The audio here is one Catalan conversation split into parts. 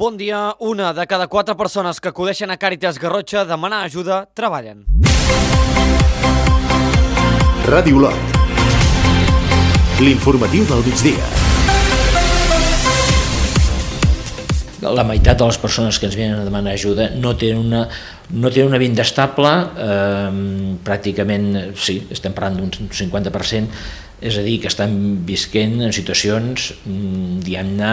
Bon dia. Una de cada 4 persones que acudeixen a Càritas Garrotxa a demanar ajuda treballen. Ràdio Olot. L'informatiu del migdia. La meitat de les persones que ens venen a demanar ajuda no tenen una vida estable, pràcticament, sí, estem parlant d'un 50%, és a dir, que estan visquent en situacions, diguem-ne,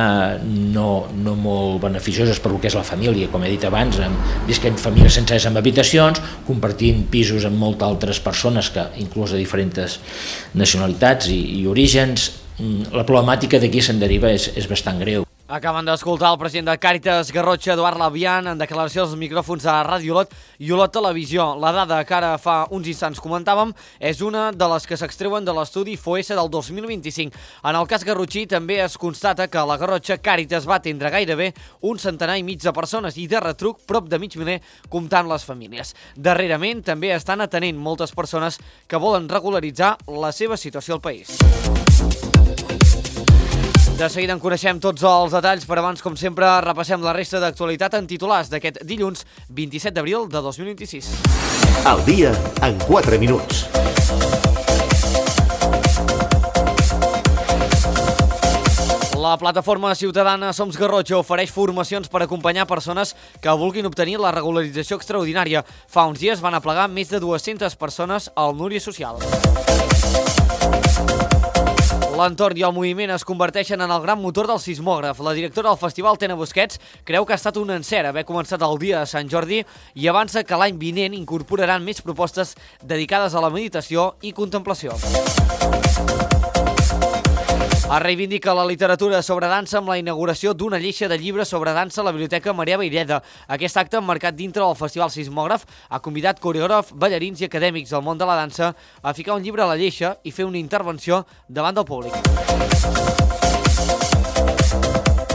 no molt beneficioses per lo que és la família, com he dit abans, visquent famílies sencers amb habitacions, compartint pisos amb moltes altres persones, que inclús de diferents nacionalitats i orígens. La problemàtica d'aquí se'n deriva és bastant greu. Acaben d'escoltar el president de Càritas Garrotxa, Eduard Labian, en declaració als micròfons de Ràdio Olot i Olot Televisió. La dada que ara fa uns instants comentàvem és una de les que s'extreuen de l'estudi FOESA del 2025. En el cas garrotxí també es constata que a la Garrotxa Càritas va atendre gairebé un centenar i mig de persones i de retruc prop de mig miler comptant les famílies. Darrerament també estan atenent moltes persones que volen regularitzar la seva situació al país. De seguida en coneixem tots els detalls, però abans, com sempre, repassem la resta d'actualitat en titulars d'aquest dilluns 27 d'abril de 2026. El dia en 4 minuts. La plataforma ciutadana Som Garrotxa ofereix formacions per acompanyar persones que vulguin obtenir la regularització extraordinària. Fa uns dies van aplegar més de 200 persones al Núria Social. L'entorn i el moviment es converteixen en el gran motor del sismògraf. La directora del festival, Tena Busquets, creu que ha estat un encert haver començat el dia de Sant Jordi i avança que l'any vinent incorporaran més propostes dedicades a la meditació i contemplació. Es reivindica la literatura sobre dansa amb la inauguració d'una lleixa de llibres sobre dansa a la Biblioteca Maria Vayreda. Aquest acte, emmarcat dintre del Festival Sismògraf, ha convidat coreògrafs, ballarins i acadèmics del món de la dansa a ficar un llibre a la lleixa i fer una intervenció davant del públic.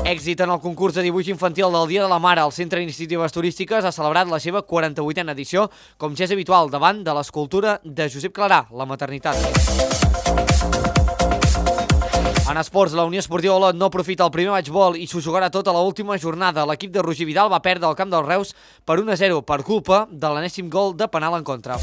Èxit en el concurs de dibuix infantil del Dia de la Mare. El Centre d'Iniciatives Turístiques ha celebrat la seva 48a edició, com ja és habitual, davant de l'escultura de Josep Clarà, la maternitat. En esports, la Unió Esportiva Olot no aprofita el primer matchball i s'ho jugarà tot a l'última jornada. L'equip de Roger Vidal va perdre al camp dels Reus per 1-0 per culpa de l'enèsim gol de penal en contra.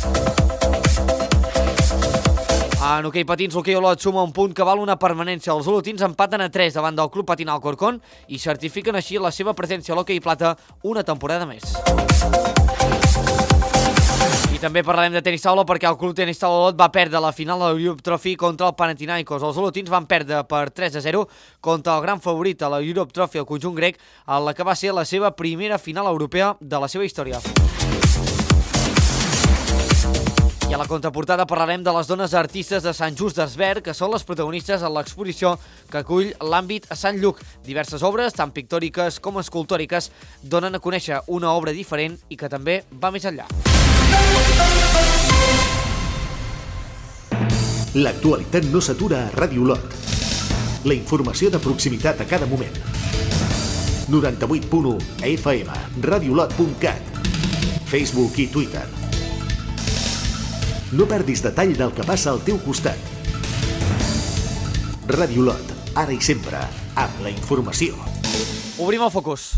En hoquei patins, l'hoquei Olot suma un punt que val una permanència. Els olotins empaten a 3 davant del Club Patinal Alcorcón i certifiquen així la seva presència a l'hoquei plata una temporada més. I també parlarem de tenis taula perquè el Club Tenis Taula Olot va perdre la final de l'Europe Trophy contra el Panathinaikos. Els olotins van perdre per 3-0 contra el gran favorit a l'Europe Trophy, el conjunt grec, en la que va ser la seva primera final europea de la seva història. I a la contraportada parlarem de les dones artistes de Sant Just d'Esvern, que són les protagonistes en l'exposició que acull l'àmbit a Sant Lluc. Diverses obres, tant pictòriques com escultòriques, donen a conèixer una obra diferent i que també va més enllà. L'actualitat no s'atura a Ràdio Olot. La informació de proximitat a cada moment. 98.1 FM, radioolot.cat, Facebook i Twitter. No perdis detall del que passa al teu costat. Ràdio Olot, ara i sempre, amb la informació. Obrim el focus.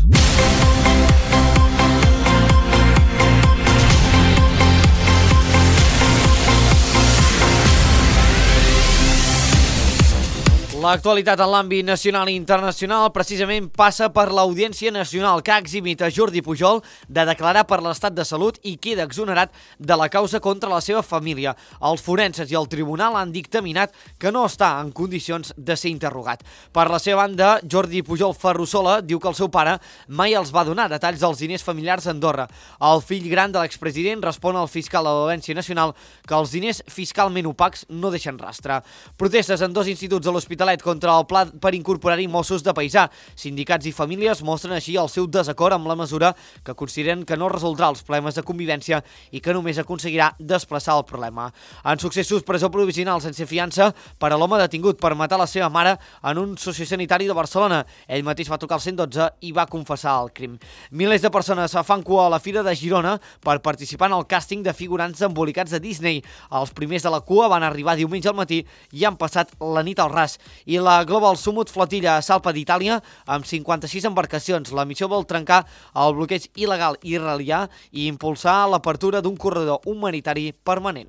L'actualitat en l'àmbit nacional i internacional precisament passa per l'Audiència Nacional, que ha eximit a Jordi Pujol de declarar per l'estat de salut i queda exonerat de la causa contra la seva família. Els forenses i el tribunal han dictaminat que no està en condicions de ser interrogat. Per la seva banda, Jordi Pujol Ferrusola diu que el seu pare mai els va donar detalls dels diners familiars a Andorra. El fill gran de l'expresident respon al fiscal de l'Audiència Nacional que els diners fiscalment opacs no deixen rastre. Protestes en 2 instituts de l'Hospitalet contra el pla per incorporar-hi Mossos de paisà. Sindicats i famílies mostren així el seu desacord amb la mesura que consideren que no resoldrà els problemes de convivència i que només aconseguirà desplaçar el problema. En successos, presó provisional sense fiança per a l'home detingut per matar la seva mare en un sociosanitari de Barcelona. Ell mateix va trucar al 112 i va confessar el crim. Milers de persones fan cua a la Fira de Girona per participar en el càsting de figurants embolicats de Disney. Els primers de la cua van arribar diumenge al matí i han passat la nit al ras. i la Global Summit Flotilla Salpa d'Itàlia amb 56 embarcacions. La missió vol trencar el bloqueig il·legal israelià i impulsar l'apertura d'un corredor humanitari permanent.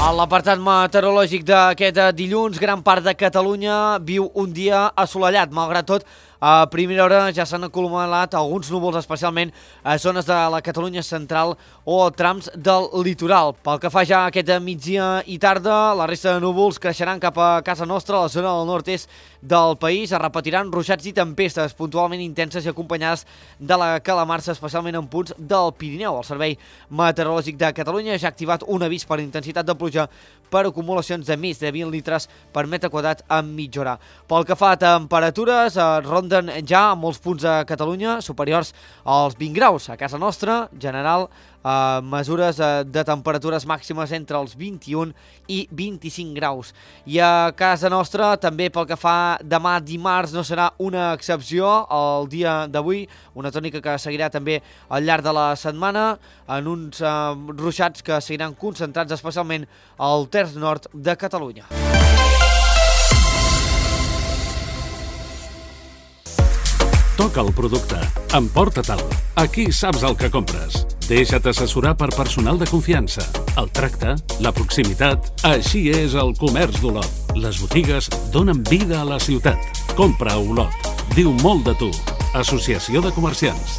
A l'apartat meteorològic d'aquest dilluns, gran part de Catalunya viu un dia assolellat. Malgrat tot, a primera hora ja s'han acumulat alguns núvols, especialment a zones de la Catalunya central o trams del litoral. Pel que fa ja a aquest migdia i tarda, la resta de núvols creixeran cap a casa nostra, a la zona del nord-est del país. Es repetiran ruixats i tempestes puntualment intenses i acompanyades de la calamarsa, especialment en punts del Pirineu. El Servei Meteorològic de Catalunya ja ha activat un avís per intensitat de pluja per acumulacions de més de 20 litres per metre quadrat en mitja hora. Pel que fa a temperatures, ronden ja a molts punts de Catalunya superiors als 20 graus. A casa nostra, general, mesures de temperatures màximes entre els 21 i 25 graus. I a casa nostra, també pel que fa demà dimarts, no serà una excepció el dia d'avui, una tònica que seguirà també al llarg de la setmana, en uns ruixats que seguiran concentrats especialment al terç nord de Catalunya. Toca el producte, emporta-te'l. Aquí saps el que compres. Deixa't assessorar per personal de confiança. El tracte, la proximitat, així és el comerç d'Olot. Les botigues donen vida a la ciutat. Compra a Olot. Diu molt de tu. Associació de Comerciants.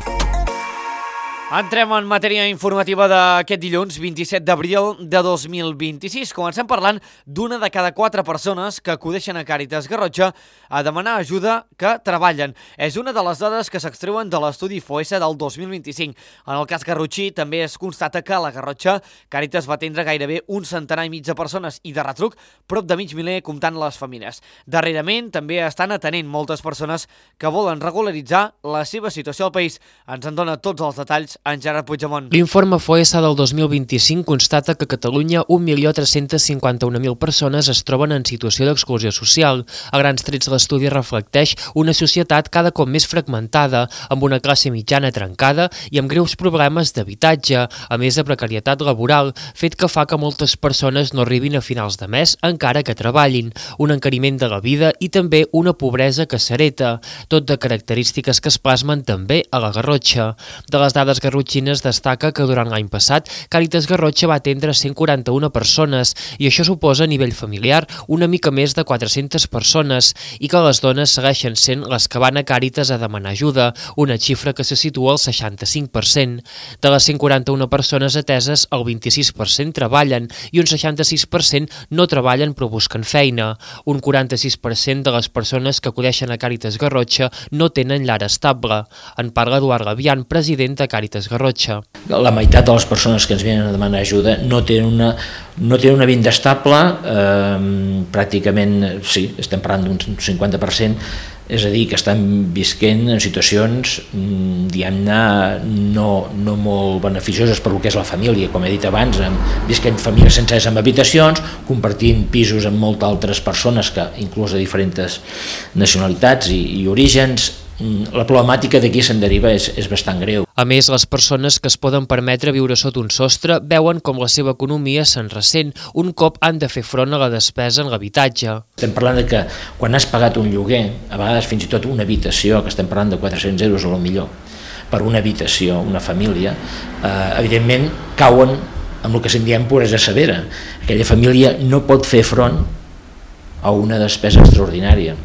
Entrem en matèria informativa d'aquest dilluns, 27 d'abril de 2026. Comencem parlant d'una de cada 4 persones que acudeixen a Càritas Garrotxa a demanar ajuda que treballen. És una de les dades que s'extreuen de l'estudi FOESA del 2025. En el cas garrotxí també es constata que a la Garrotxa Càritas va atendre gairebé un centenar i mig de persones i de retruc prop de mig miler comptant les famílies. Darrerament també estan atenent moltes persones que volen regularitzar la seva situació al país. Ens en dona tots els detalls en Gerard Puigdemont. L'informe FOESA del 2025 constata que a Catalunya 1.351.000 persones es troben en situació d'exclusió social. A grans trets l'estudi reflecteix una societat cada cop més fragmentada, amb una classe mitjana trencada i amb greus problemes d'habitatge, a més de precarietat laboral, fet que fa que moltes persones no arribin a finals de mes encara que treballin, un encariment de la vida i també una pobresa que s'hereta, tot de característiques que es plasmen també a la Garrotxa. De les dades garrotxines destaca que durant l'any passat Càritas Garrotxa va atendre 141 persones i això suposa a nivell familiar una mica més de 400 persones i que les dones segueixen sent les que van a Càritas a demanar ajuda, una xifra que se situa al 65%. De les 141 persones ateses, el 26% treballen i un 66% no treballen però busquen feina. Un 46% de les persones que acudeixen a Càritas Garrotxa no tenen llar estable. En parla Eduard Labian, president de Càritas Garrotxa. La meitat de les persones que ens venen a demanar ajuda no tenen una vida estable, pràcticament, sí, estem parlant d'un 50%, és a dir, que estan visquent en situacions, diguem-ne, no molt beneficioses per lo que és la família, com he dit abans, visquent famílies senceres amb habitacions, compartint pisos amb moltes altres persones, que inclús de diferents nacionalitats i orígens. La problemàtica d'aquí se'n deriva és bastant greu. A més, les persones que es poden permetre viure sota un sostre veuen com la seva economia se'n ressent un cop han de fer front a la despesa en l'habitatge. Estem parlant de que quan has pagat un lloguer, a vegades fins i tot una habitació, que estem parlant de 400 euros a lo millor, per una habitació, una família, evidentment cauen amb el que se'n diem pobresa severa. Aquella família no pot fer front a una despesa extraordinària.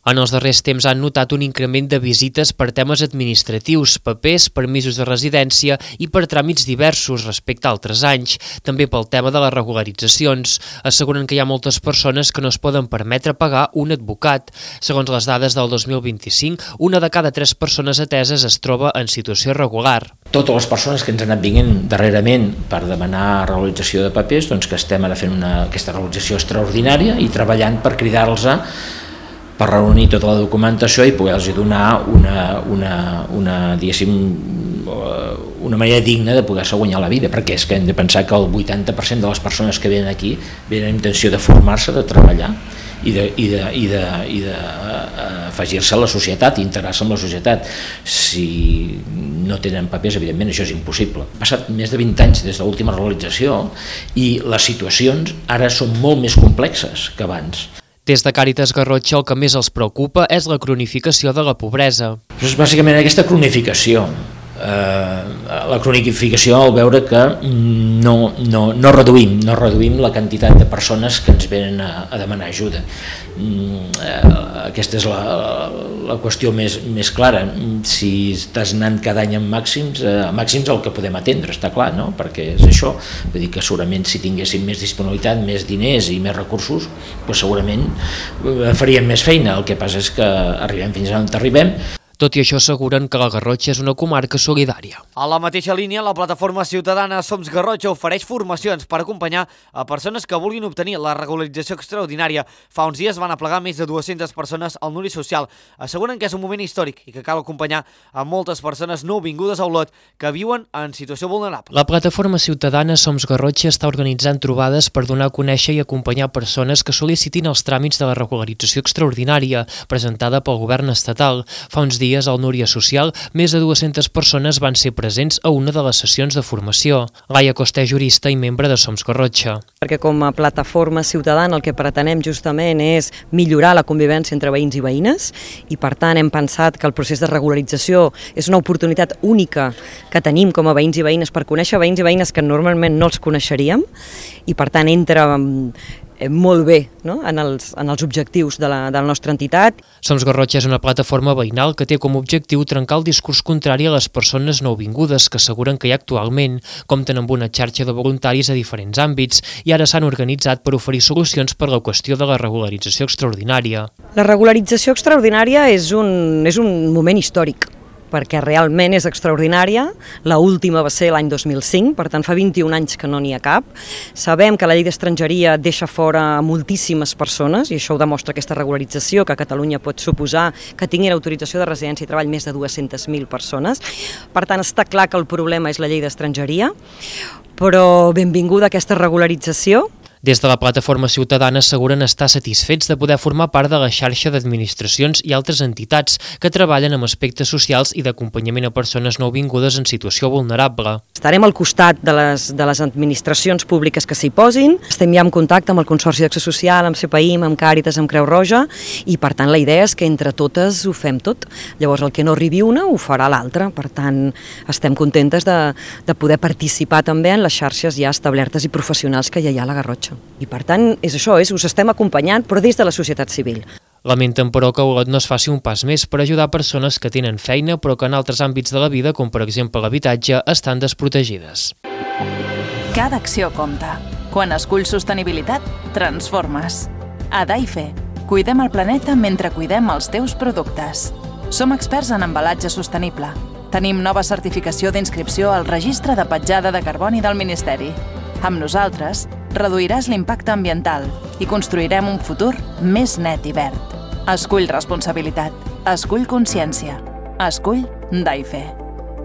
En els darrers temps han notat un increment de visites per temes administratius, papers, permisos de residència i per tràmits diversos respecte a altres anys, també pel tema de les regularitzacions. Asseguren que hi ha moltes persones que no es poden permetre pagar un advocat. Segons les dades del 2025, una de cada 3 persones ateses es troba en situació irregular. Totes les persones que ens han anat vinguent darrerament per demanar regularització de papers, doncs que estem ara fent aquesta regularització extraordinària i treballant per cridar-los per reunir tota la documentació i poder-los donar una manera digna de poder-se guanyar la vida, perquè és que hem de pensar que el 80% de les persones que venen aquí venen amb intenció de formar-se, de treballar i d'afegir-se a la societat, integrar-se en la societat. Si no tenen papers, evidentment això és impossible. Han passat més de 20 anys des de l'última regularització i les situacions ara són molt més complexes que abans. Des de Càritas Garrotxa el que més els preocupa és la cronificació de la pobresa. És bàsicament aquesta cronificació. La cronificació al veure que no reduïm la quantitat de persones que ens venen a demanar ajuda. Aquesta és la qüestió més clara. Si estàs anant cada any amb màxims el que podem atendre, està clar, no? Perquè és això, vull dir que segurament si tinguéssim més disponibilitat, més diners i més recursos, doncs segurament faríem més feina. El que passa és que arribem fins on arribem. Tot i això asseguren que la Garrotxa és una comarca solidària. A la mateixa línia, la plataforma ciutadana Som Garrotxa ofereix formacions per acompanyar a persones que vulguin obtenir la regularització extraordinària. Fa uns dies van aplegar més de 200 persones al Nuri Social. Asseguren que és un moment històric i que cal acompanyar a moltes persones nouvingudes a Olot que viuen en situació vulnerable. La plataforma ciutadana Som Garrotxa està organitzant trobades per donar a conèixer i acompanyar persones que sol·licitin els tràmits de la regularització extraordinària presentada pel govern estatal. Fa uns dies al Núria Social, més de 200 persones van ser presents a una de les sessions de formació. Laia Costa és jurista i membre de Som Garrotxa. Perquè com a plataforma ciutadana el que pretenem justament és millorar la convivència entre veïns i veïnes i per tant hem pensat que el procés de regularització és una oportunitat única que tenim com a veïns i veïnes per conèixer veïns i veïnes que normalment no els coneixeríem i per tant entra molt bé, no? en els objectius de la nostra entitat. Som Garrotxa és una plataforma veïnal que té com a objectiu trencar el discurs contrari a les persones nouvingudes que asseguren que hi ha actualment, compten amb una xarxa de voluntaris a diferents àmbits i ara s'han organitzat per oferir solucions per la qüestió de la regularització extraordinària. La regularització extraordinària és un moment històric, perquè realment és extraordinària. L'última va ser l'any 2005, per tant fa 21 anys que no n'hi ha cap. Sabem que la llei d'estrangeria deixa fora moltíssimes persones i això ho demostra aquesta regularització que a Catalunya pot suposar que tinguin autorització de residència i treball més de 200.000 persones. Per tant, està clar que el problema és la llei d'estrangeria, però benvinguda aquesta regularització. Des de la plataforma ciutadana asseguren estar satisfets de poder formar part de la xarxa d'administracions i altres entitats que treballen amb aspectes socials i d'acompanyament a persones nouvingudes en situació vulnerable. Estarem al costat de les administracions públiques que s'hi posin. Estem ja en contacte amb el Consorci d'Acció Social, amb CPIM, amb Càritas, amb Creu Roja i per tant la idea és que entre totes ho fem tot. Llavors el que no arribi una ho farà l'altra. Per tant estem contentes de poder participar també en les xarxes ja establertes i professionals que ja hi ha a la Garrotxa. I per tant és això, us estem acompanyant però des de la societat civil. Lamenten però que Olot no es faci un pas més per ajudar persones que tenen feina però que en altres àmbits de la vida, com per exemple l'habitatge, estan desprotegides. Cada acció compta. Quan esculls sostenibilitat, transformes. A Daife, cuidem el planeta mentre cuidem els teus productes. Som experts en embalatge sostenible. Tenim nova certificació d'inscripció al Registre de Petjada de Carboni del Ministeri. Amb nosaltres, reduiràs l'impacte ambiental i construirem un futur més net i verd. Escull responsabilitat. Escull consciència. Escull Daife.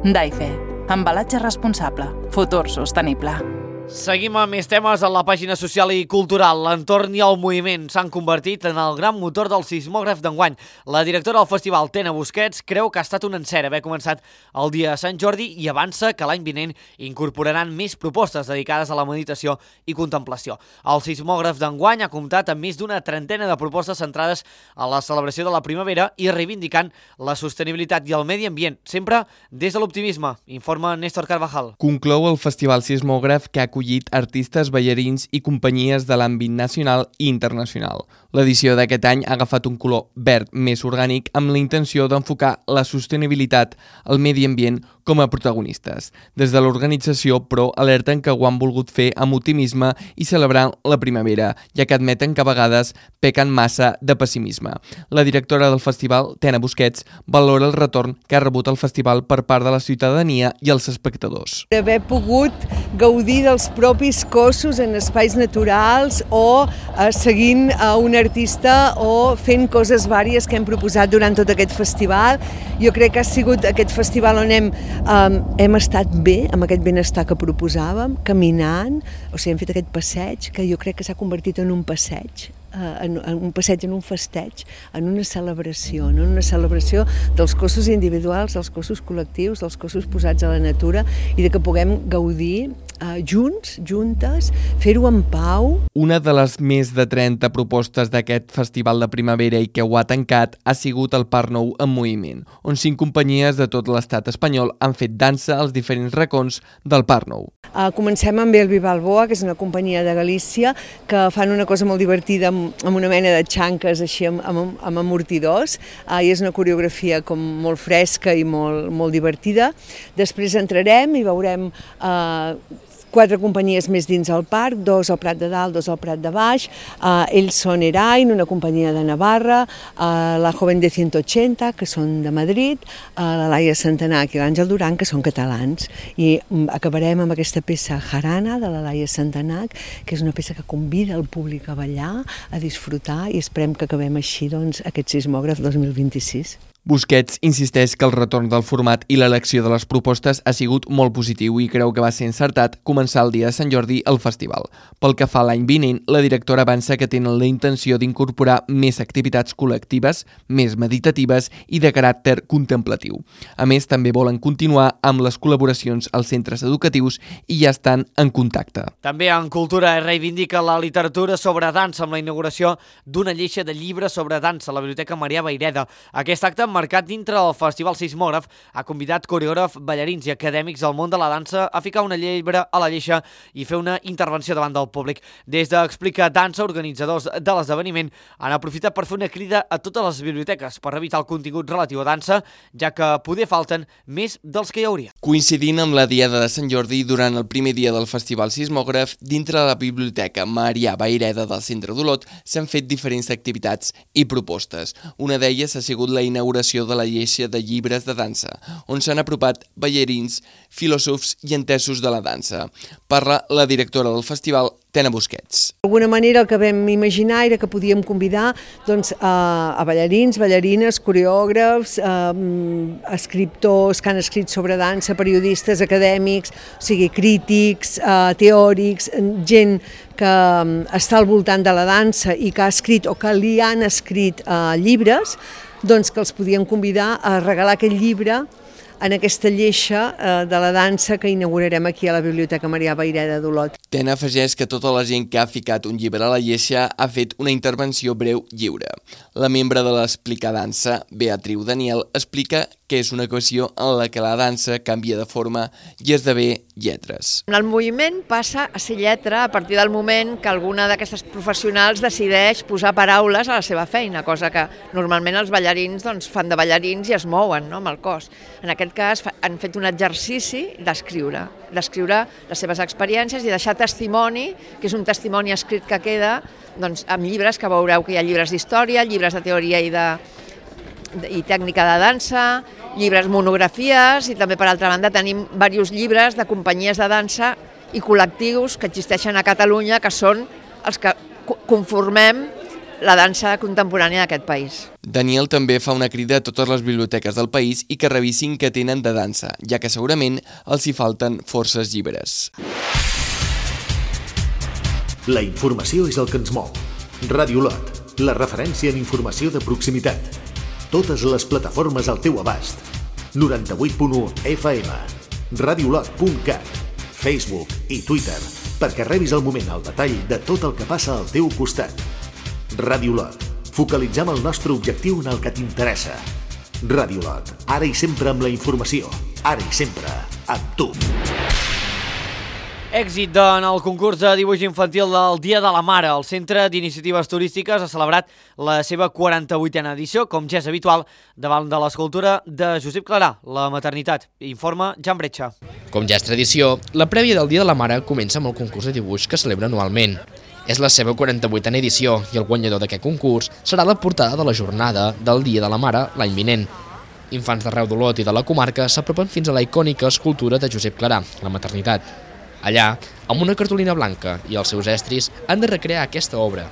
Daife. Embalatge responsable. Futur sostenible. Seguim amb més temes a la pàgina social i cultural. L'entorn i el moviment s'han convertit en el gran motor del sismògraf d'enguany. La directora del festival, Tena Busquets, creu que ha estat un encert haver començat el dia de Sant Jordi i avança que l'any vinent incorporaran més propostes dedicades a la meditació i contemplació. El sismògraf d'enguany ha comptat amb més d'una trentena de propostes centrades a la celebració de la primavera i reivindicant la sostenibilitat i el medi ambient, sempre des de l'optimisme, informa Néstor Carvajal. Conclou el Festival Sismògraf que ha acollit artistes, ballarins i companyies de l'àmbit nacional i internacional. L'edició d'aquest any ha agafat un color verd més orgànic amb la intenció d'enfocar la sostenibilitat, el medi ambient com a protagonistes. Des de l'organització, però, alerten que ho han volgut fer amb optimisme i celebrant la primavera, ja que admeten que a vegades pequen massa de pessimisme. La directora del festival, Tena Busquets, valora el retorn que ha rebut el festival per part de la ciutadania i els espectadors. D'haver pogut gaudir dels propis cossos en espais naturals o seguint un artista o fent coses vàries que hem proposat durant tot aquest festival. Jo crec que ha sigut aquest festival on hem estat bé, amb aquest benestar que proposàvem, caminant, o sigui, hem fet aquest passeig que jo crec que s'ha convertit en un passeig, en un festeig, en una celebració dels cossos individuals, dels cossos col·lectius, dels cossos posats a la natura i de que puguem gaudir junts, juntes, fer-ho en pau. Una de les més de 30 propostes d'aquest festival de primavera i que ho ha tancat ha sigut el Parc Nou en moviment, on 5 companyies de tot l'estat espanyol han fet dansa als diferents racons del Parc Nou. Comencem amb Elvi Balboa, que és una companyia de Galícia, que fan una cosa molt divertida amb una mena de xanques així amb amortidors, i és una coreografia com molt fresca i molt divertida. Després entrarem i veurem 4 companyies més dins el parc, 2 al Prat de Dalt, 2 al Prat de Baix. Ells són Erain, una companyia de Navarra, la Joven de 180, que són de Madrid, la Laia Santanac i l'Àngel Duran, que són catalans. I acabarem amb aquesta peça Jarana, de la Laia Santanac, que és una peça que convida el públic a ballar, a disfrutar, i esperem que acabem així aquest sismògraf 2026. Busquets insisteix que el retorn del format i l'elecció de les propostes ha sigut molt positiu i creu que va ser encertat començar el dia de Sant Jordi al festival. Pel que fa a l'any vinent, la directora avança que tenen la intenció d'incorporar més activitats col·lectives, més meditatives i de caràcter contemplatiu. A més, també volen continuar amb les col·laboracions als centres educatius i ja estan en contacte. També en Cultura reivindica la literatura sobre dansa amb la inauguració d'una lleixa de llibres sobre dansa a la Biblioteca Marià Vayreda. Aquest acte marcat dintre del Festival Sismògraf, ha convidat coreògrafs, ballarins i acadèmics del món de la dansa a ficar una llebre a la lleixa i fer una intervenció davant del públic. Des d'Explica Dansa, organitzadors de l'esdeveniment han aprofitat per fer una crida a totes les biblioteques per revisar el contingut relatiu a dansa, ja que poder falten més dels que hi hauria. Coincidint amb la Diada de Sant Jordi, durant el primer dia del Festival Sismògraf, dintre de la Biblioteca Marià Vayreda del Centre d'Olot s'han fet diferents activitats i propostes. Una d'elles ha sigut la inauguració de la lleixa de llibres de dansa, on s'han apropat ballarins, filòsofs i entesos de la dansa. Parla la directora del festival, Tena Busquets. D'alguna manera el que vam imaginar era que podíem convidar a ballarins, ballarines, coreògrafs, escriptors que han escrit sobre dansa, periodistes, acadèmics, o sigui, crítics, teòrics, gent que està al voltant de la dansa i que ha escrit o que li han escrit llibres, doncs que els podíem convidar a regalar aquest llibre en aquesta lleixa de la dansa que inaugurarem aquí a la Biblioteca Marià Vayreda d'Olot. Tena afegeix que tota la gent que ha ficat un llibre a la lleixa ha fet una intervenció breu lliure. La membre de l'Explica Dansa, Beatriu Daniel, explica que és una equació en la que la dansa canvia de forma i esdevé lletres. El moviment passa a ser lletra a partir del moment que alguna d'aquestes professionals decideix posar paraules a la seva feina, cosa que normalment els ballarins fan de ballarins i es mouen amb el cos. En aquest cas han fet un exercici d'escriure les seves experiències i deixar testimoni, que és un testimoni escrit que queda amb llibres, que veureu que hi ha llibres d'història, llibres de teoria i tècnica de dansa, llibres monografies, i també per altra banda tenim diversos llibres de companyies de dansa i col·lectius que existeixen a Catalunya, que són els que conformem la dansa contemporània d'aquest país. Daniel també fa una crida a totes les biblioteques del país i que revisin què tenen de dansa, ja que segurament els hi falten forces llibres. La informació és el que ens mou. Ràdio Olot, la referència en informació de proximitat. Totes les plataformes al teu abast. 98.1 FM, radiolot.cat, Facebook i Twitter, perquè rebis al moment el detall de tot el que passa al teu costat. Ràdio Olot, focalitzem el nostre objectiu en el que t'interessa. Ràdio Olot, ara i sempre amb la informació, ara i sempre amb tu. Èxit en el concurs de dibuix infantil del Dia de la Mare. El Centre d'Iniciatives Turístiques ha celebrat la seva 48a edició, com ja és habitual, davant de l'escultura de Josep Clarà, la maternitat. Informa Jan Bretxa. Com ja és tradició, la prèvia del Dia de la Mare comença amb el concurs de dibuix que celebra anualment. És la seva 48a edició i el guanyador d'aquest concurs serà la portada de la jornada del Dia de la Mare l'any vinent. Infants d'arreu d'Olot i de la comarca s'apropen fins a la icònica escultura de Josep Clarà, la maternitat. Allà, amb una cartolina blanca i els seus estris, han de recrear aquesta obra.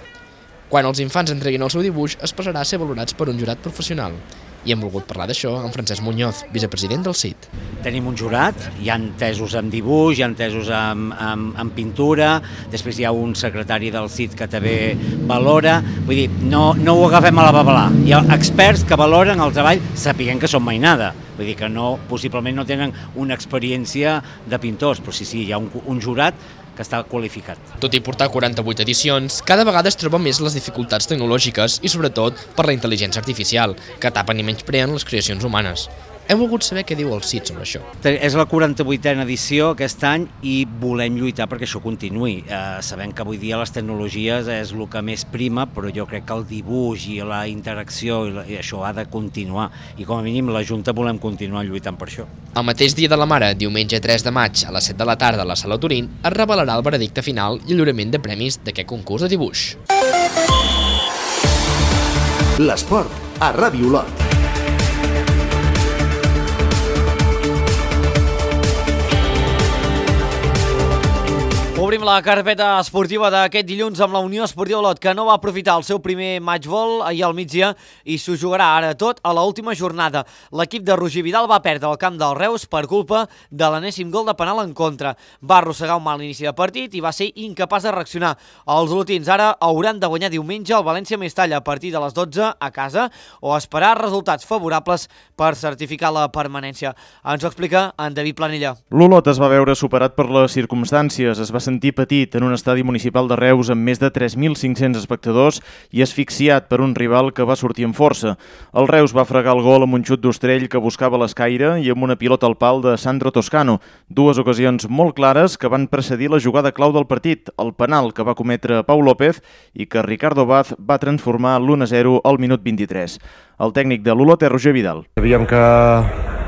Quan els infants entreguin el seu dibuix, es passarà a ser valorats per un jurat professional. I hem volgut parlar d'això amb Francesc Muñoz, vicepresident del CIT. Tenim un jurat, hi ha entesos en dibuix, hi ha entesos en pintura, després hi ha un secretari del CIT que també valora, vull dir, no ho agafem a la babalà. Hi ha experts que valoren el treball sapiguent que són mainada, vull dir que possiblement no tenen una experiència de pintors, però sí, hi ha un jurat que està qualificat. Tot i portar 48 edicions, cada vegada es troben més les dificultats tecnològiques i sobretot per la intel·ligència artificial, que tapen i menyspreen les creacions humanes. Hem volgut saber què diu el CIT sobre això. És la 48a edició aquest any i volem lluitar perquè això continuï. Sabem que avui dia les tecnologies és el que més prima, però jo crec que el dibuix i la interacció i això ha de continuar. I com a mínim la Junta volem continuar lluitant per això. El mateix dia de la Mare, diumenge 3 de maig, a les 7 de la tarda a la Sala Turín, es revelarà el veredicte final i el lliurament de premis d'aquest concurs de dibuix. L'esport a Ràdio Olot. Obrim la carpeta esportiva d'aquest dilluns amb la Unió Esportiva Olot, que no va aprofitar el seu primer matchball ahir al migdia i s'ho jugarà ara tot a l'última jornada. L'equip de Roger Vidal va perdre el camp del Reus per culpa de l'enèsim gol de penal en contra. Va arrossegar un mal inici de partit i va ser incapaç de reaccionar. Els olotins ara hauran de guanyar diumenge el València-Mestalla a partir de les 12 a casa o esperar resultats favorables per certificar la permanència. Ens ho explica en David Planella. L'Olot es va veure superat per les circumstàncies, es va sentir petit en un estadi municipal de Reus amb més de 3.500 espectadors i asfixiat per un rival que va sortir amb força. El Reus va fregar el gol amb un xut d'Ostrell que buscava l'escaire i amb una pilota al pal de Sandro Toscano. Dues ocasions molt clares que van precedir la jugada clau del partit, el penal que va cometre Pau López i que Ricardo Vaz va transformar l'1-0 al minut 23. El tècnic de l'Olot és Roger Vidal. Sabíem que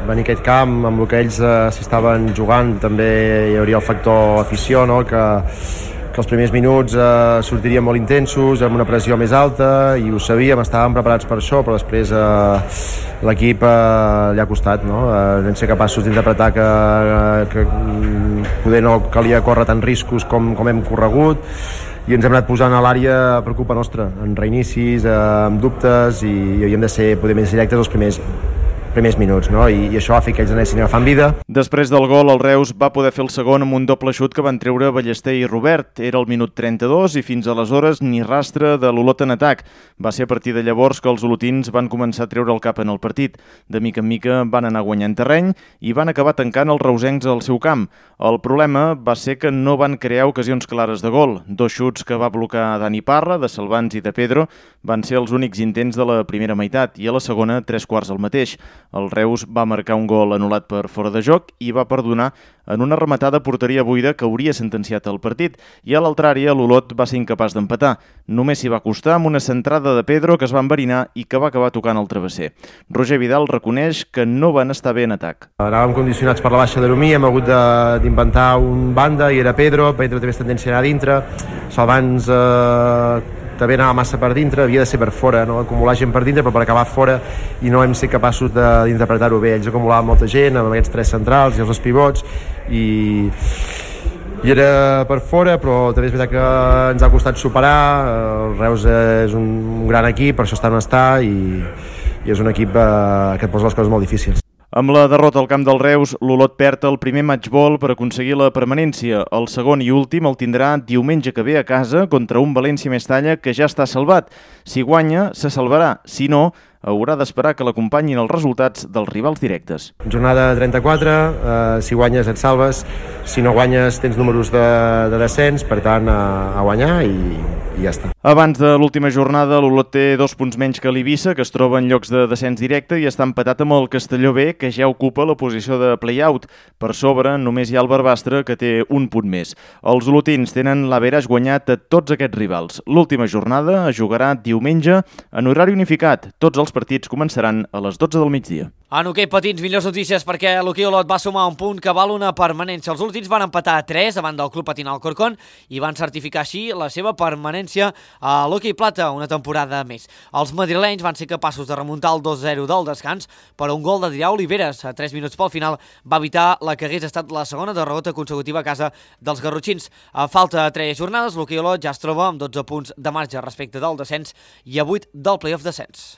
venir a aquest camp, amb el que ells s'estaven jugant, també hi hauria el factor afició, no? que els primers minuts sortirien molt intensos, amb una pressió més alta, i ho sabíem, estàvem preparats per això, però després l'equip li ha costat, no? Vam ser capaços d'interpretar que poder no calia córrer tants riscos com hem corregut, i ens hem anat posant a l'àrea per culpa nostra, en reinicis, amb dubtes, i havíem de ser poder més directes els primers minuts, no? I això va fer que ells anessin agafant vida. Després del gol, el Reus va poder fer el segon amb un doble xut que van treure Ballester i Robert. Era el minut 32 i fins aleshores ni rastre de l'Olot en atac. Va ser a partir de llavors que els olotins van començar a treure el cap en el partit. De mica en mica van anar guanyant terreny i van acabar tancant els reusencs al seu camp. El problema va ser que no van crear ocasions clares de gol. Dos xuts que va blocar Dani Parra, de Salvans i de Pedro, van ser els únics intents de la primera meitat i a la segona 3/4 el mateix. El Reus va marcar un gol anul·lat per fora de joc i va perdonar en una rematada a porteria buida que hauria sentenciat el partit, i a l'altra àrea l'Olot va ser incapaç d'empatar. Només s'hi va costar amb una centrada de Pedro que es va enverinar i que va acabar tocant el travesser. Roger Vidal reconeix que no van estar bé en atac. Anàvem condicionats per la baixa d'Aromí, hem hagut d'inventar un banda i era Pedro té més tendència a anar a dintre, Salvans també anava massa per dintre, havia de ser per fora, no? Acumular gent per dintre, però per acabar fora, i no hem set capaços d'interpretar-ho bé. Ells acumulaven molta gent amb aquests tres centrals i els dos pivots, i era per fora, però també és veritat que ens ha costat superar. El Reus és un gran equip, per això està on està, i és un equip que et posa les coses molt difícils. Amb la derrota al camp del Reus, l'Olot perd el primer matchball per aconseguir la permanència. El segon i últim el tindrà diumenge que ve a casa contra un València-Mestalla que ja està salvat. Si guanya, se salvarà. Si no, haurà d'esperar que l'acompanyin els resultats dels rivals directes. Jornada 34, si guanyes et salves, si no guanyes tens números de descens, per tant a guanyar i ja està. Abans de l'última jornada, l'Olot té 2 punts menys que l'Eivissa, que es troba en llocs de descens directe, i està empatat amb el Castelló B, que ja ocupa la posició de play-out. Per sobre només hi ha el Barbastre, que té 1 punt més. Els olotins tenen l'average guanyat a tots aquests rivals. L'última jornada es jugarà diumenge en horari unificat. Tots els partits començaran a les 12 del migdia. En hoquei patins, millors notícies perquè l'hoquei Olot va sumar un punt que val una permanència. Els olotins van empatar a 3 davant del Club Patín Alcorcón i van certificar així la seva permanència a l'hoquei plata una temporada més. Els madrilenys van ser capaços de remuntar el 2-0 del descans, però un gol d'Adrià Oliveres a 3 minuts pel final va evitar la que hagués estat la segona derrota consecutiva a casa dels garrotxins. A falta de 3 jornades, l'hoquei Olot ja es troba amb 12 punts de marge respecte del descens i a 8 del play-off descens.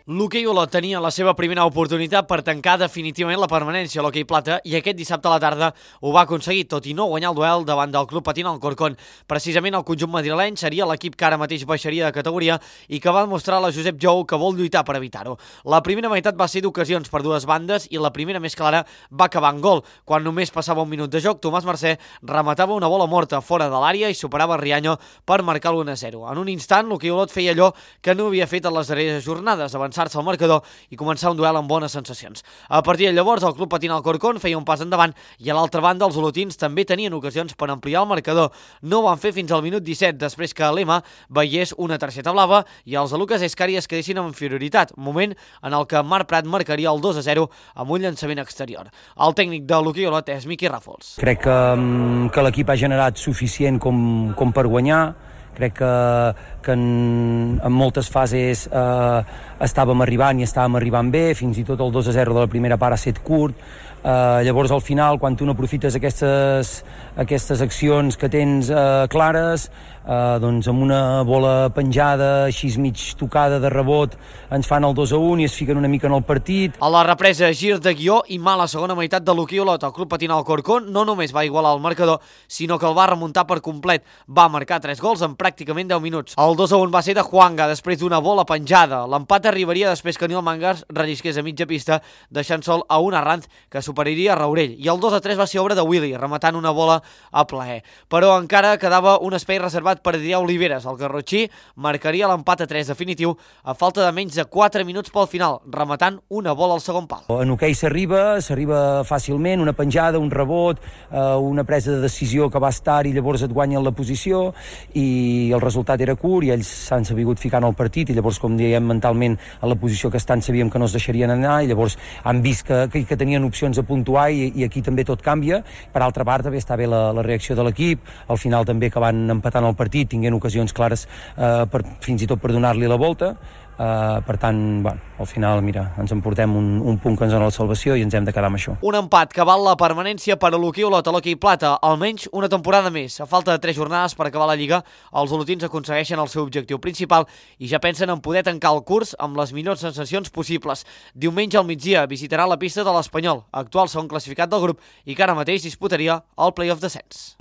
L'hoquei Olot tenia la seva primera oportunitat per tancar definitivament la permanència a l'hoquei plata i aquest dissabte a la tarda ho va aconseguir, tot i no guanyar el duel davant del Club Patín Alcorcón. Precisament el conjunt madrileny seria l'equip que ara mateix baixaria de categoria i que va demostrar a la Josep Jou que vol lluitar per evitar-ho. La primera meitat va ser d'ocasions per dues bandes i la primera més clara va acabar en gol. Quan només passava un minut de joc, Tomàs Mercè rematava una bola morta fora de l'àrea i superava Riaño per marcar l'1-0. En un instant, l'hoquei Olot feia allò que no havia fet en les darreres jornades, avançar-se al marcador i començar un duel amb bones sensacions. A partir de llavors, el Club Patín Alcorcón feia un pas endavant i a l'altra banda els olotins també tenien ocasions per ampliar el marcador. No ho van fer fins al minut 17, després que l'Ema veiés una targeta blava i els de Lucas Escari es quedessin amb inferioritat, moment en el que Marc Prat marcaria el 2-0 amb un llançament exterior. El tècnic de l'hoquei Olot és Miqui Ràfols. Crec que l'equip ha generat suficient com per guanyar. Crec que en moltes fases estàvem arribant bé, fins i tot el 2-0 de la primera part ha set curt. Llavors al final, quan tu no aprofites aquestes accions que tens clares, doncs amb una bola penjada, així mig tocada de rebot, ens fan el 2-1 i es fiquen una mica en el partit. A la represa, gir de guió i mala segona meitat de l'hoquei Olot. El Club Patín Alcorcón no només va igualar el marcador, sinó que el va remuntar per complet. Va marcar 3 gols en pràcticament 10 minuts. El 2-1 va ser de Juanga, després d'una bola penjada. L'empat arribaria després que Nil Mangars rellisqués a mitja pista, deixant sol a un Arranz que superaria Raurell. I el 2-3 va ser obra de Willy, rematant una bola a plaer. Però encara quedava un espai reservat per Adrià Oliveres. El garrotxí marcaria l'empat a 3 definitiu a falta de menys de 4 minuts pel final, rematant una bola al segon pal. En hoquei s'arriba fàcilment, una penjada, un rebot, una presa de decisió que va estar i llavors et guanyen la posició i el resultat era curt i ells s'han sabut ficar en el partit i llavors, com dèiem, mentalment en la posició que estan sabíem que no es deixarien anar i llavors han vist que tenien opcions de puntuar i aquí també tot canvia. Per altra part, també està bé la reacció de l'equip, al final també que van empatant el partit, tinguent ocasions clares fins i tot per donar-li la volta. Per tant, al final, mira, ens emportem un punt que ens dona la salvació i ens hem de quedar amb això. Un empat que val la permanència per a l'hoquei Olot a l'hoquei plata, almenys una temporada més. A falta de 3 jornades per acabar la Lliga, els olotins aconsegueixen el seu objectiu principal i ja pensen en poder tancar el curs amb les millors sensacions possibles. Diumenge al migdia visitarà la pista de l'Espanyol, actual segon classificat del grup i que ara mateix disputaria el play-off descens.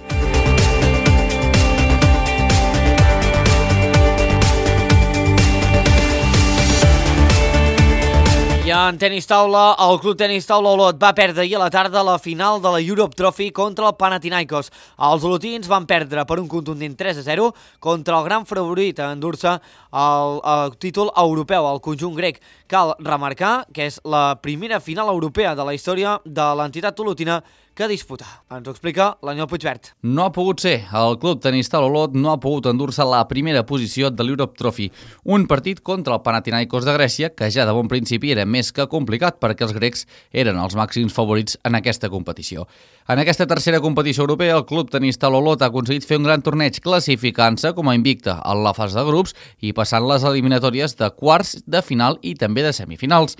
I en tenis taula, el Club Tenis Taula Olot va perdre ahir a la tarda la final de la Europe Trophy contra el Panathinaikos. Els olotins van perdre per un contundent 3-0 contra el gran favorit a endur-se el títol europeu, el conjunt grec. Cal remarcar que és la primera final europea de la història de l'entitat olotina que disputa. Ens ho explica l'Aniol Puigvert. No ha pogut ser. El Club Tenis Taula Olot no ha pogut endur-se la primera posició de l'Europe Trophy. Un partit contra el Panathinaikos de Grècia que ja de bon principi era més que complicat perquè els grecs eren els màxims favorits en aquesta competició. En aquesta tercera competició europea, el Club Tenis Taula Olot ha aconseguit fer un gran torneig classificant-se com a invicte en la fase de grups i passant les eliminatòries de quarts, de final i també de semifinals.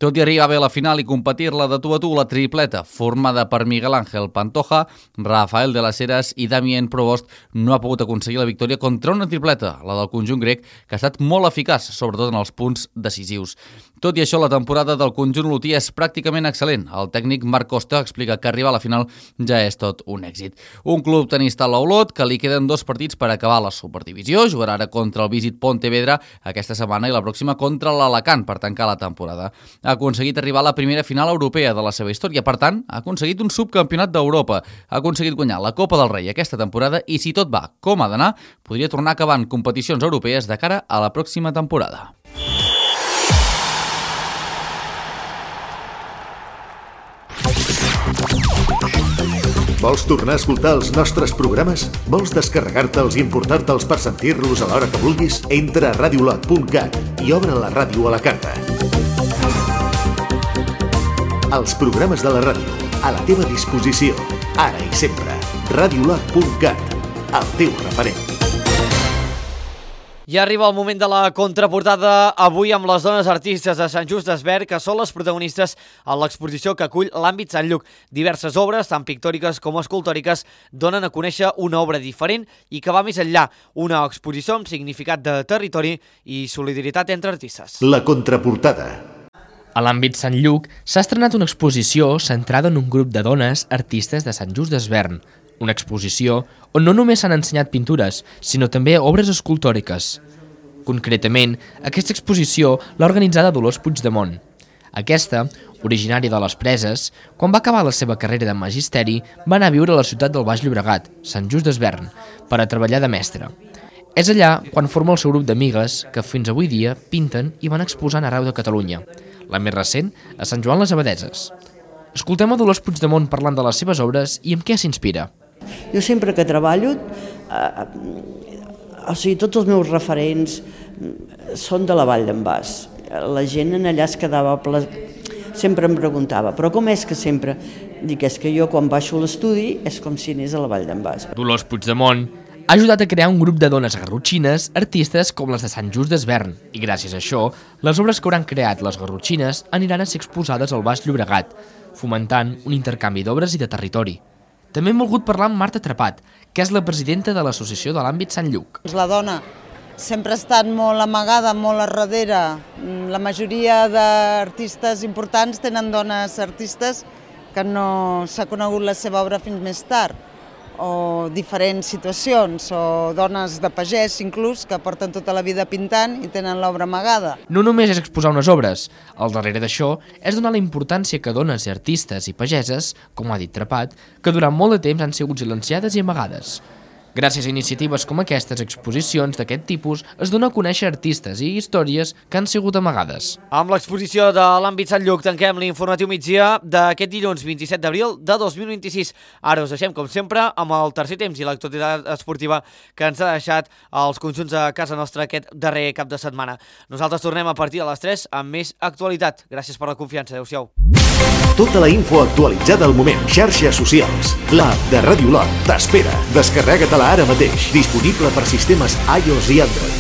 Tot i arribar bé a la final i competir-la de tu a tu, la tripleta, formada per Miguel Ángel Pantoja, Rafael de las Heras i Damien Provost, no ha pogut aconseguir la victòria contra una tripleta, la del conjunt grec, que ha estat molt eficaç, sobretot en els punts decisius. Tot i això, la temporada del conjunt olotí és pràcticament excel·lent. El tècnic Marc Costa explica que arribar a la final ja és tot un èxit. Un Club Tenis Taula Olot que li queden 2 partits per acabar la Superdivisió, jugarà ara contra el Visit Pontevedra aquesta setmana i la pròxima contra l'Alacant per tancar la temporada. Ha aconseguit arribar a la primera final europea de la seva història, per tant, ha aconseguit un subcampionat d'Europa, ha aconseguit guanyar la Copa del Rei aquesta temporada i si tot va com ha d'anar, podria tornar a acabar en competicions europees de cara a la pròxima temporada. Vols tornar a escoltar els nostres programes? Vols descarregar-te'ls i importar-te'ls per sentir-los a l'hora que vulguis? Entra a radiolot.cat i obre la ràdio a la carta. Els programes de la ràdio, a la teva disposició, ara i sempre. Radiolot.cat, el teu referent. I arriba el moment de la contraportada, avui amb les dones artistes de Sant Just Desvern, que són les protagonistes en l'exposició que acull l'àmbit Sant Lluc. Diverses obres, tant pictòriques com escultòriques, donen a conèixer una obra diferent i que va més enllà, una exposició amb significat de territori i solidaritat entre artistes. La contraportada. A l'àmbit Sant Lluc s'ha estrenat una exposició centrada en un grup de dones artistes de Sant Just Desvern. Una exposició on no només s'han ensenyat pintures, sinó també obres escultòriques. Concretament, aquesta exposició l'ha organitzada Dolors Puigdemont. Aquesta, originària de les Preses, quan va acabar la seva carrera de magisteri, va anar a viure a la ciutat del Baix Llobregat, Sant Just Desvern, per a treballar de mestra. És allà quan forma el seu grup d'amigues que fins avui dia pinten i van exposant arreu de Catalunya. La més recent, a Sant Joan les Abadeses. Escoltem a Dolors Puigdemont parlant de les seves obres i amb què s'inspira. Jo sempre que treballo, tots els meus referents són de la Vall d'en Bas. La gent en allà es quedava... Sempre em preguntava, però com és que sempre... Dic, és que jo quan baixo a l'estudi és com si anés a la Vall d'en Bas. Dolors Puigdemont ha ajudat a crear un grup de dones garrotxines, artistes com les de Sant Just Desvern, i gràcies a això, les obres que hauran creat les garrotxines aniran a ser exposades al Baix Llobregat, fomentant un intercanvi d'obres i de territori. També hem volgut parlar amb Marta Trepat, que és la presidenta de l'associació de l'àmbit Sant Lluc. La dona sempre ha estat molt amagada, molt a darrere. La majoria d'artistes importants tenen dones artistes que no s'ha conegut la seva obra fins més tard, o diferents situacions, o dones de pagès inclús, que porten tota la vida pintant i tenen l'obra amagada. No només és exposar unes obres, al darrere d'això és donar la importància que dones i artistes i pageses, com ha dit Trepat, que durant molt de temps han sigut silenciades i amagades. Gràcies a iniciatives com aquestes exposicions d'aquest tipus es dona a conèixer artistes i històries que han sigut amagades. Amb l'exposició de l'àmbit Sant Lluc tanquem l'informatiu migdia d'aquest dilluns 27 d'abril de 2026. Ara us deixem, com sempre, amb el tercer temps i l'actualitat esportiva que ens ha deixat els conjunts a casa nostra aquest darrer cap de setmana. Nosaltres tornem a partir de les 3 amb més actualitat. Gràcies per la confiança. Adéu-siau. Tota la info actualitzada al moment. Xarxes socials. L'app de Ràdio Lot t'espera. Descarrega-te-la ara mateix. Disponible per sistemes iOS i Android.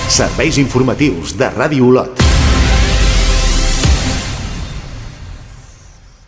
Serveis informatius de Ràdio Lot.